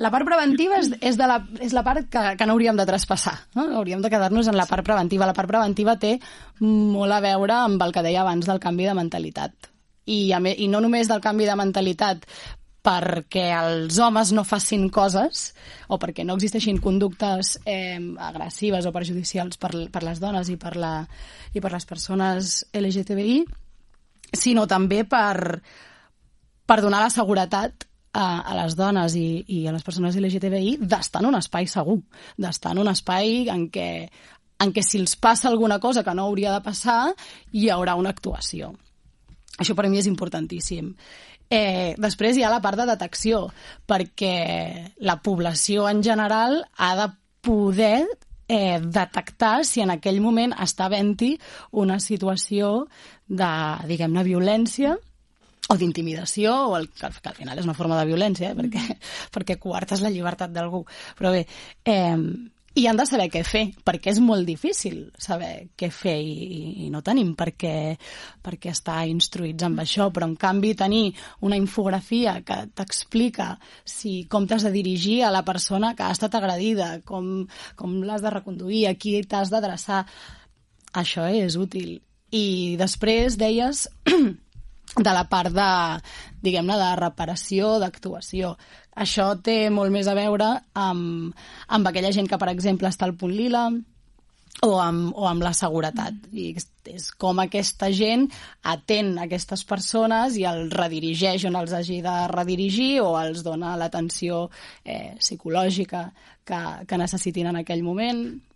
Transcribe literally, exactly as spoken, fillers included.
La part preventiva és, és, de la, és la part que, que no hauríem de traspassar, no? Hauríem de quedar-nos en la part preventiva. La part preventiva té molt a veure amb el que deia abans del canvi de mentalitat. I, a, i no només del canvi de mentalitat perquè els homes no facin coses o perquè no existeixin conductes eh, agressives o perjudicials per, per les dones i per, la, i per les persones L G T B I, sinó també per, per donar la seguretat a, a les dones i, i a les persones L G T B I d'estar en un espai segur, d'estar en un espai en què, en què si els passa alguna cosa que no hauria de passar, hi haurà una actuació. Això per a mi és importantíssim. Eh, després hi ha la part de detecció, perquè la població en general ha de poder eh, detectar si en aquell moment està havent-hi una situació de, diguem-ne, violència o d'intimidació, o el, que, que al final és una forma de violència, eh, perquè, perquè coartes la llibertat d'algú. Però bé, eh, i han de saber què fer, perquè és molt difícil saber què fer i, i no tenim per què, per què estar instruïts amb això, però en canvi tenir una infografia que t'explica si, com t'has de dirigir a la persona que ha estat agredida, com, com l'has de reconduir, a qui t'has d'adreçar, això és útil. I després deies de la part de, diguem-ne, de reparació, d'actuació. Això té molt més a veure amb, amb aquella gent que, per exemple, està al punt lila o amb, o amb la seguretat. I és com aquesta gent atén aquestes persones i els redirigeix on els hagi de redirigir o els dona l'atenció eh, psicològica que, que necessitin en aquell moment.